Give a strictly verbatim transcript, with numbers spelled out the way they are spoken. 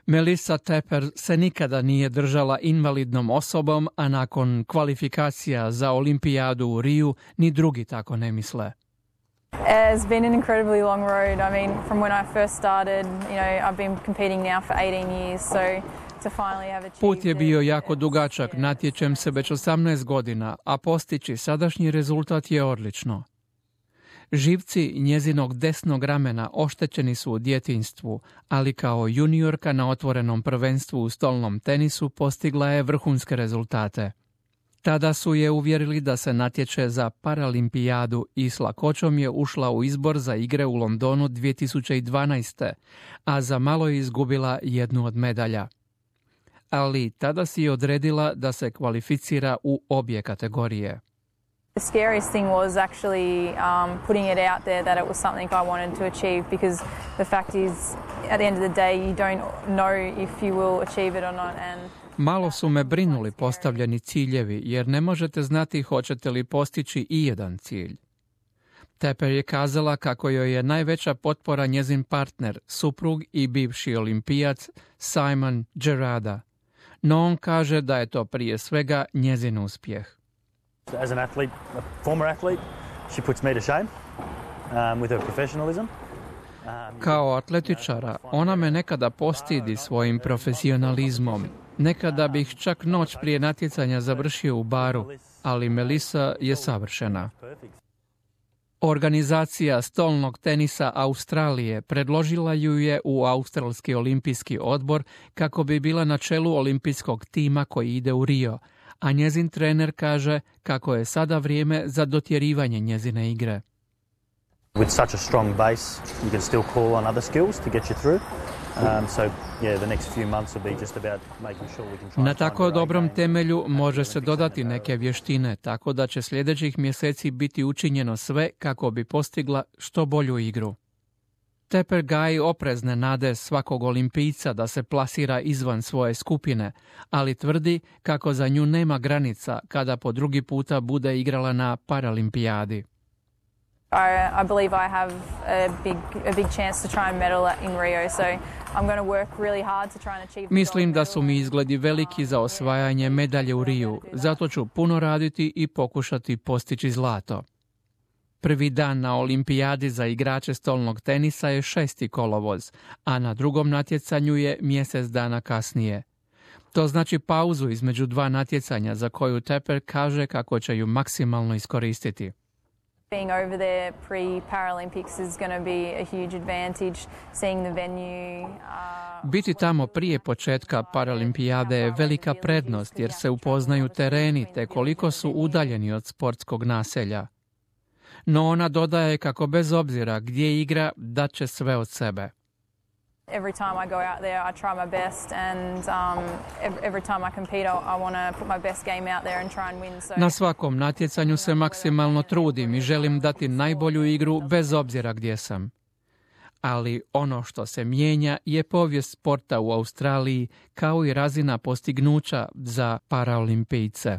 Melissa Tepper se nikada nije držala invalidnom osobom, a nakon kvalifikacija za olimpijadu u Riju ni drugi tako ne misle. It's been an incredibly long road. I mean, from when I first started, you know, I've been competing now for eighteen years, so to finally have achieved. Put je bio jako dugačak, natječem se već osamnaest godina, a postići sadašnji rezultat je odlično. Živci njezinog desnog ramena oštećeni su u djetinjstvu, ali kao juniorka na otvorenom prvenstvu u stolnom tenisu postigla je vrhunske rezultate. Tada su je uvjerili da se natječe za Paralimpijadu i s lakoćom je ušla u izbor za igre u Londonu dvije tisuće dvanaeste. a za malo je izgubila jednu od medalja. Ali tada si je odredila da se kvalificira u obje kategorije. The scariest thing was actually um, putting it out there that it was something I wanted to achieve, because the fact is, at the end of the day, you don't know if you will achieve it or not. And Malo su me brinuli postavljeni ciljevi, jer ne možete znati hoćete li postići i jedan cilj. Tepper je kazala kako joj je najveća potpora njezin partner, suprug i bivši olimpijac Simon Gerrada. No on kaže da je to prije svega njezin uspjeh. As an athlete, a former athlete, she puts me to shame um, with her professionalism. Um, Kao atletičara, ona me nekada postidi svojim profesionalizmom. Nekada bih čak noć prije natjecanja završio u baru, ali Melissa je savršena. Organizacija stolnog tenisa Australije predložila ju je u Australski olimpijski odbor kako bi bila na čelu olimpijskog tima koji ide u Rio, a njezin trener kaže kako je sada vrijeme za dotjerivanje njezine igre. With such a strong base, you can still call on other skills to get you through. Um, so, yeah, the next few months will be just about making sure we can try. Na tako dobrom temelju može se dodati neke vještine, tako da će sljedećih mjeseci biti učinjeno sve kako bi postigla što bolju igru. Tepper gaji oprezne nade svakog olimpijca da se plasira izvan svoje skupine, ali tvrdi kako za nju nema granica kada po drugi puta bude igrala na Paralimpijadi. I, I believe I have a big, a big chance to try and medal in Rio, so I'm going to work really hard to try and achieve. Mislim da su mi izgledi veliki za osvajanje medalje u Riju, zato ću puno raditi i pokušati postići zlato. Prvi dan na olimpijadi za igrače stolnog tenisa je šesti kolovoz, a na drugom natjecanju je mjesec dana kasnije. To znači pauzu između dva natjecanja za koju Tepper kaže kako će ju maksimalno iskoristiti. Being over there pre-Paralympics is going to be a huge advantage, seeing the venue. Uh, Biti tamo prije početka Paralimpijade je velika prednost jer se upoznaju tereni te koliko su udaljeni od sportskog naselja. No ona dodaje kako bez obzira gdje igra dat će sve od sebe. Every time I go out there, I try my best, and um, every, every time I compete, I, I want to put my best game out there and try and win. So... Na svakom natjecanju se maksimalno trudim i želim dati najbolju igru bez obzira gdje sam. Ali ono što se mijenja je povijest sporta u Australiji kao i razina postignuća za paraolimpijce.